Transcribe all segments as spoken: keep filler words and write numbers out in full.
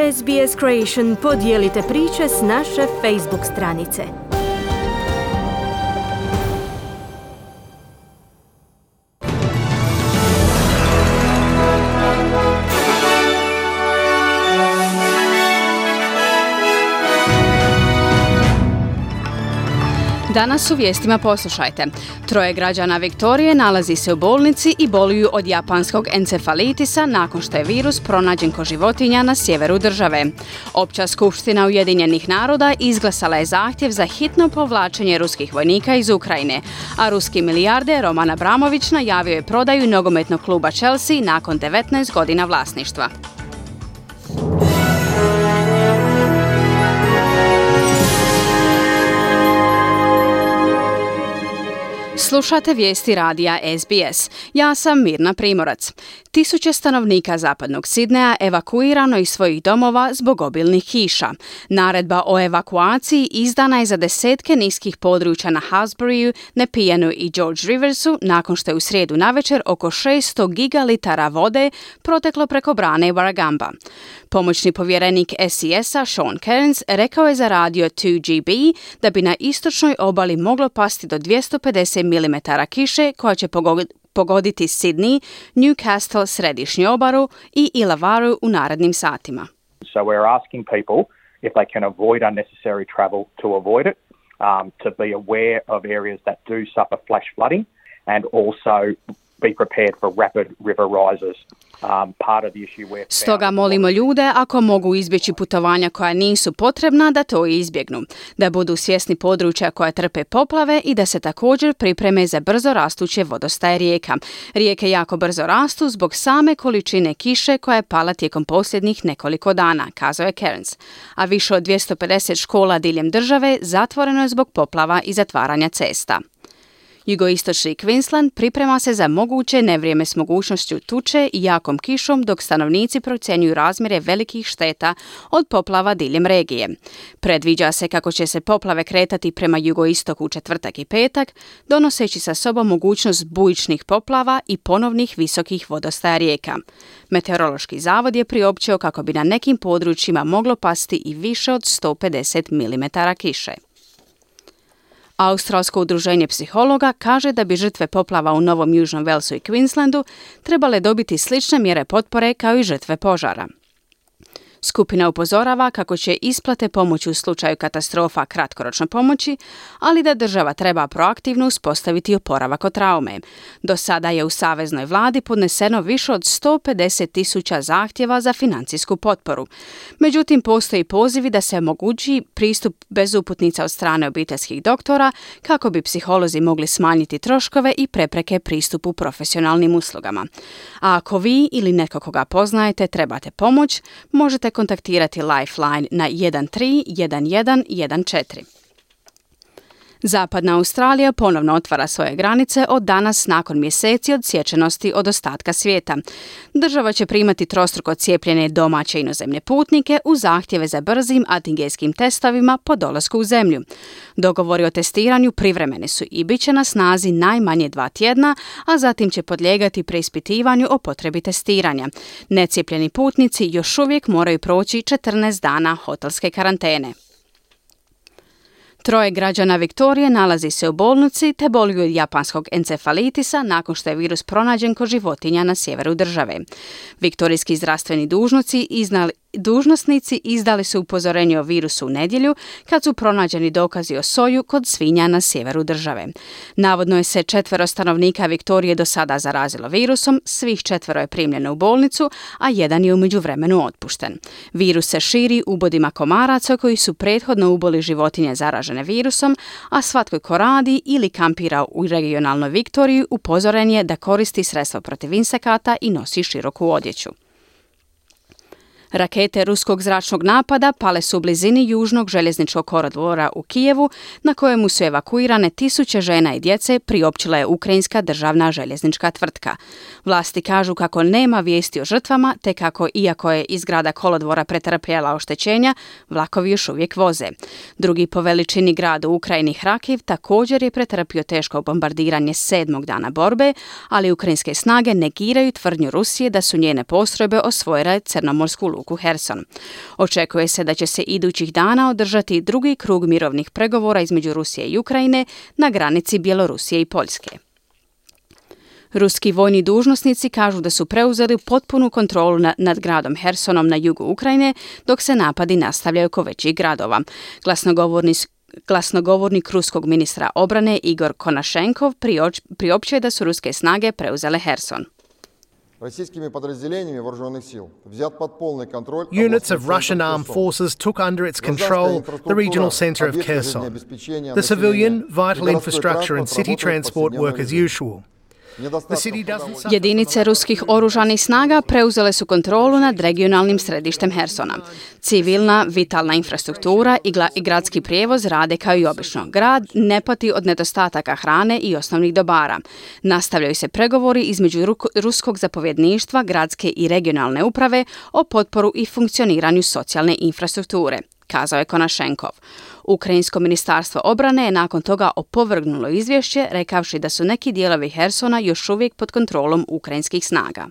S B S Creation podijelite priče s naše Facebook stranice. Danas u vijestima poslušajte. Troje građana Viktorije nalazi se u bolnici i boluju od japanskog encefalitisa nakon što je virus pronađen kod životinja na sjeveru države. Opća skupština Ujedinjenih naroda izglasala je zahtjev za hitno povlačenje ruskih vojnika iz Ukrajine, a ruski milijarder Roman Abramović najavio je prodaju nogometnog kluba Chelsea nakon devetnaest godina vlasništva. Slušate vijesti radija S B S. Ja sam Mirna Primorac. Tisuće stanovnika zapadnog Sidneja evakuirano iz svojih domova zbog obilnih kiša. Naredba o evakuaciji izdana je za desetke niskih područja na Halsburyu, Nepijanu i George Riversu nakon što je u srijedu navečer oko šesto gigalitara vode proteklo preko brane Warragamba. Pomoćni povjerenik S E S-a Sean Cairns rekao je za radio dva G B da bi na istočnoj obali moglo pasti do dvjesto pedeset milimetara kiše koja će pogoditi Sydney, Newcastle, središnju obalu i Illawarra u narednim satima. So we're asking people if they can avoid unnecessary travel to avoid it, um, to be aware of areas that do suffer flash flooding and also be prepared for rapid river rises. Um, part of the issue where Stoga molimo ljude ako mogu izbjeći putovanja koja nisu potrebna da to izbjegnu, da budu svjesni područja koja trpe poplave i da se također pripreme za brzo rastuće vodostaje rijeka. Rijeke jako brzo rastu zbog same količine kiše koja je pala tijekom posljednjih nekoliko dana, kazao je Cairns. A više od dvjesto pedeset škola diljem države zatvoreno je zbog poplava i zatvaranja cesta. Jugoistočni Queensland priprema se za moguće nevrijeme s mogućnošću tuče i jakom kišom dok stanovnici procjenjuju razmjere velikih šteta od poplava diljem regije. Predviđa se kako će se poplave kretati prema jugoistoku u četvrtak i petak, donoseći sa sobom mogućnost bujičnih poplava i ponovnih visokih vodostaja rijeka. Meteorološki zavod je priopćio kako bi na nekim područjima moglo pasti i više od sto pedeset milimetara kiše. Australsko udruženje psihologa kaže da bi žrtve poplava u Novom Južnom Walesu i Queenslandu trebale dobiti slične mjere potpore kao i žrtve požara. Skupina upozorava kako će isplate pomoći u slučaju katastrofa kratkoročno pomoći, ali da država treba proaktivno uspostaviti oporavak od traume. Do sada je u saveznoj vladi podneseno više od sto pedeset tisuća zahtjeva za financijsku potporu. Međutim, postoji pozivi da se omogući pristup bez uputnica od strane obiteljskih doktora kako bi psiholozi mogli smanjiti troškove i prepreke pristupu profesionalnim uslugama. A ako vi ili netko koga poznajete trebate pomoć, možete kontaktirati Lifeline na jedan tri jedan jedan jedan četiri. Zapadna Australija ponovno otvara svoje granice od danas nakon mjeseci odsječenosti od ostatka svijeta. Država će primati trostruko cijepljene domaće i inozemne putnike u zahtjeve za brzim antigenskim testovima po dolasku u zemlju. Dogovori o testiranju privremeni su i bit će na snazi najmanje dva tjedna, a zatim će podlijegati preispitivanju o potrebi testiranja. Necijepljeni putnici još uvijek moraju proći četrnaest dana hotelske karantene. Troje građana Viktorije nalazi se u bolnici te boluju od japanskog encefalitisa nakon što je virus pronađen kod životinja na sjeveru države. Viktorijski zdravstveni dužnosnici iznali Dužnosnici izdali su upozorenje o virusu u nedjelju kad su pronađeni dokazi o soju kod svinja na sjeveru države. Navodno je se četvero stanovnika Viktorije do sada zarazilo virusom, svih četvero je primljeno u bolnicu, a jedan je u međuvremenu otpušten. Virus se širi ubodima komaraca koji su prethodno uboli životinje zaražene virusom, a svatko ko radi ili kampira u regionalnoj Viktoriji upozoren je da koristi sredstva protiv insekata i nosi široku odjeću. Rakete ruskog zračnog napada pale su u blizini južnog željezničkog kolodvora u Kijevu, na kojemu su evakuirane tisuće žena i djece, priopćila je ukrajinska državna željeznička tvrtka. Vlasti kažu kako nema vijesti o žrtvama, te kako, iako je izgrada kolodvora pretrpjela oštećenja, vlakovi još uvijek voze. Drugi po veličini grad u Ukrajini, Hrakiv, također je pretrpio teško bombardiranje sedmog dana borbe, ali ukrajinske snage negiraju tvrdnju Rusije da su njene postrojbe osvojile crnomorsku luku luku Herson. Očekuje se da će se idućih dana održati drugi krug mirovnih pregovora između Rusije i Ukrajine na granici Bjelorusije i Poljske. Ruski vojni dužnosnici kažu da su preuzeli potpunu kontrolu na, nad gradom Hersonom na jugu Ukrajine, dok se napadi nastavljaju oko većih gradova. Glasnogovorni Glasnogovornik ruskog ministra obrane Igor Konašenkov prioč, priopćio je da su ruske snage preuzele Herson. Units of Russian armed forces took under its control the regional center of Kherson. The civilian, vital infrastructure and city transport work as usual. Jedinice ruskih oružanih snaga preuzele su kontrolu nad regionalnim središtem Hersona. Civilna, vitalna infrastruktura i, gla- i gradski prijevoz rade kao i obično. Grad ne pati od nedostataka hrane i osnovnih dobara. Nastavljaju se pregovori između ru- ruskog zapovjedništva, gradske i regionalne uprave o potporu i funkcioniranju socijalne infrastrukture, kazao je Konašenkov. Ukrajinsko ministarstvo obrane je nakon toga opovrgnulo izvješće, rekavši da su neki dijelovi Hersona još uvijek pod kontrolom ukrajinskih snaga.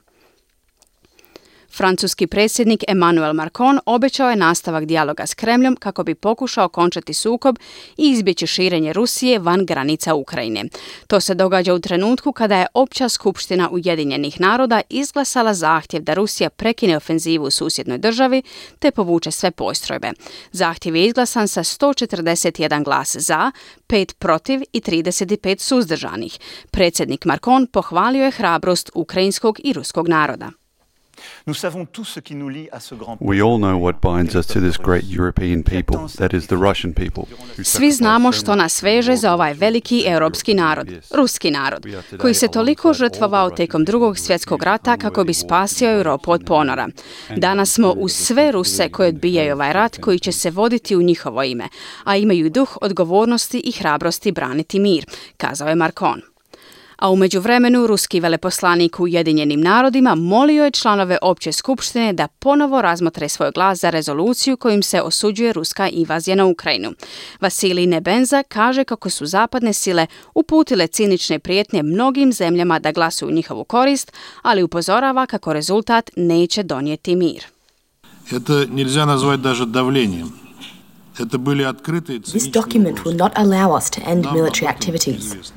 Francuski predsjednik Emmanuel Macron obećao je nastavak dijaloga s Kremljom kako bi pokušao okončati sukob i izbjeći širenje Rusije van granica Ukrajine. To se događa u trenutku kada je Opća skupština Ujedinjenih naroda izglasala zahtjev da Rusija prekine ofenzivu u susjednoj državi te povuče sve postrojbe. Zahtjev je izglasan sa sto četrdeset jedan glas za, pet protiv i trideset pet suzdržanih. Predsjednik Macron pohvalio je hrabrost ukrajinskog i ruskog naroda. We all know what binds us to this great European people, that is the Russian people. Svi znamo što nas veže za ovaj veliki europski narod, ruski narod, koji se toliko žrtvovao tijekom drugog svjetskog rata kako bi spasio Europu od ponora. Danas smo uz sve Ruse koji odbijaju ovaj rat koji će se voditi u njihovo ime, a imaju duh odgovornosti i hrabrosti braniti mir, kazao je Macron. A u međuvremenu ruski veleposlanik u Ujedinjenim narodima molio je članove Opće skupštine da ponovo razmotre svoj glas za rezoluciju kojim se osuđuje ruska invazija na Ukrajinu. Vasilij Nebenza kaže kako su zapadne sile uputile cinične prijetnje mnogim zemljama da glasuju u njihovu korist, ali upozorava kako rezultat neće donijeti mir. Это нельзя назвать даже давлением. Это были открытые This document will not allow us to end military activities.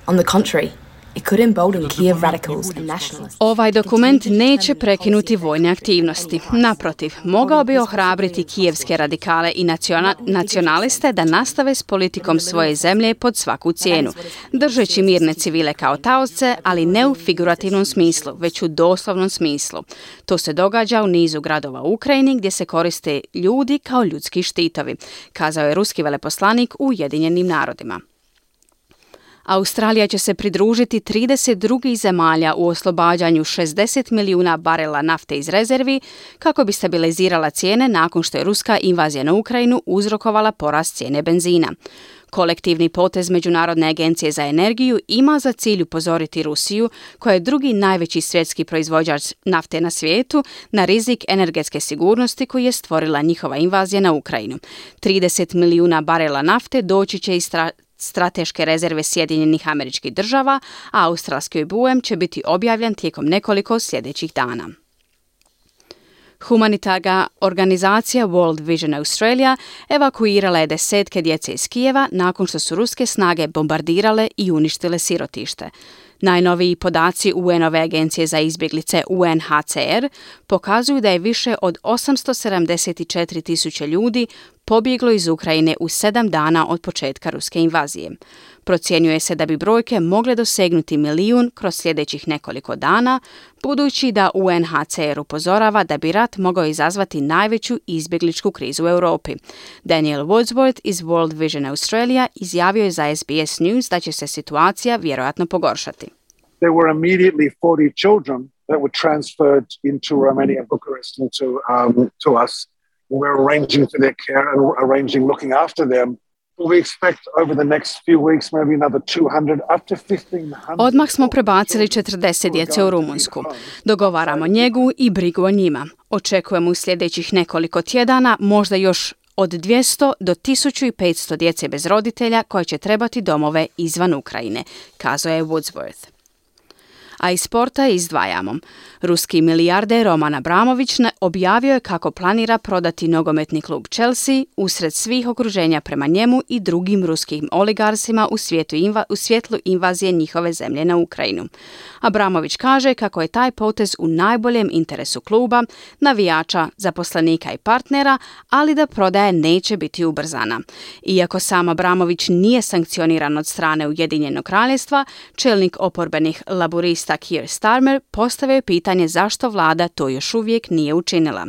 On the contrary, it could embolden Kiev radicals and nationalists. Ovaj dokument neće prekinuti vojne aktivnosti. Naprotiv, mogao bi ohrabriti kijevske radikale i naciona- nacionaliste da nastave s politikom svoje zemlje pod svaku cijenu, držeći mirne civile kao taoce, ali ne u figurativnom smislu, već u doslovnom smislu. To se događa u nizu gradova u Ukrajini gdje se koriste ljudi kao ljudski štitovi, kazao je ruski veleposlanik u Ujedinjenim narodima. Australija će se pridružiti trideset drugih zemalja u oslobađanju šezdeset milijuna barela nafte iz rezervi kako bi stabilizirala cijene nakon što je ruska invazija na Ukrajinu uzrokovala porast cijene benzina. Kolektivni potez Međunarodne agencije za energiju ima za cilj upozoriti Rusiju, koja je drugi najveći svjetski proizvođač nafte na svijetu, na rizik energetske sigurnosti koji je stvorila njihova invazija na Ukrajinu. trideset milijuna barela nafte doći će iz stra- strateške rezerve Sjedinjenih Američkih Država, a australski obujam će biti objavljen tijekom nekoliko sljedećih dana. Humanitarna organizacija World Vision Australia evakuirala je desetke djece iz Kijeva nakon što su ruske snage bombardirale i uništile sirotište. Najnoviji podaci U N-ove agencije za izbjeglice U N H C R pokazuju da je više od osamsto sedamdeset četiri tisuće ljudi pobjeglo iz Ukrajine u sedam dana od početka ruske invazije. Procjenjuje se da bi brojke mogle dosegnuti milijun kroz sljedećih nekoliko dana, budući da U N H C R upozorava da bi rat mogao izazvati najveću izbjegličku krizu u Europi. Daniel Wadsworth iz World Vision Australia izjavio je za S B S News da će se situacija vjerojatno pogoršati. There were immediately forty children that were transferred into Romania and Bucharest into, um, to us. We're arranging for their care and arranging looking after them. We expect over the next few weeks maybe another two hundred up to fifteen hundred. Odmah smo prebacili četrdeset djece u Rumunjsku. Dogovaramo njegu i brigu o njima. Očekujemo u sljedećih nekoliko tjedana možda još od dvjesto do tisuću petsto djece bez roditelja koje će trebati domove izvan Ukrajine, kazao je Woodsworth. A iz sporta izdvajamo. Ruski milijarder Roman Abramović objavio je kako planira prodati nogometni klub Chelsea usred svih okruženja prema njemu i drugim ruskim oligarsima u, svijetu inva, u svjetlu invazije njihove zemlje na Ukrajinu. Abramović kaže kako je taj potez u najboljem interesu kluba, navijača, zaposlenika i partnera, ali da prodaja neće biti ubrzana. Iako sam Abramović nije sankcioniran od strane Ujedinjenog kraljevstva, čelnik oporbenih laburista Keir Starmer postavio je pitanje zašto vlada to još uvijek nije učinila.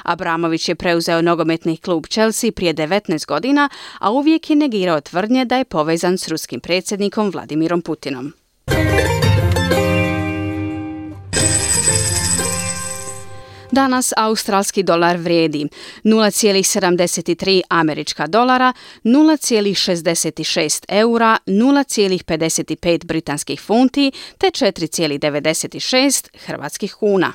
Abramović je preuzeo nogometni klub Chelsea prije devetnaest godina, a uvijek je negirao tvrdnje da je povezan s ruskim predsjednikom Vladimirom Putinom. Danas australski dolar vrijedi nula zarez sedamdeset tri američka dolara, nula zarez šezdeset šest eura, nula zarez pedeset pet britanskih funti te četiri zarez devedeset šest hrvatskih kuna.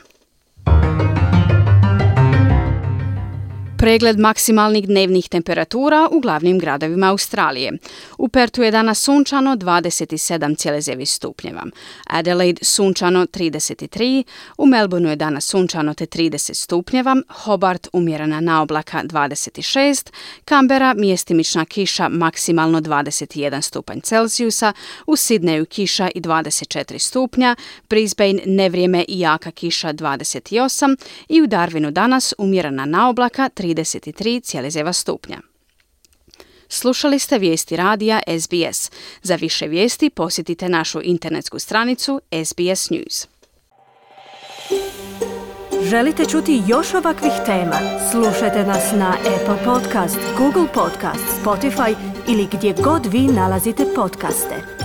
Pregled maksimalnih dnevnih temperatura u glavnim gradovima Australije. U Pertu je danas sunčano dvadeset sedam zarez devet stupnjeva. Adelaide sunčano trideset tri, u Melbourneu je danas sunčano te trideset stupnjeva, Hobart umjerena naoblaka dvadeset šest, Canberra mjestimična kiša maksimalno dvadeset jedan stupanj Celzijusa, u Sidneju kiša i dvadeset četiri stupnja, Brisbane nevrijeme i jaka kiša dvadeset osam i u Darwinu danas umjerena naoblaka trideset tri zarez devet stupnja. Slušali ste vijesti radija S B S. Za više vijesti posjetite našu internetsku stranicu S B S News. Želite čuti još ovakvih tema? Slušajte nas na Apple Podcast, Google Podcast, Spotify ili gdje god vi nalazite podcaste.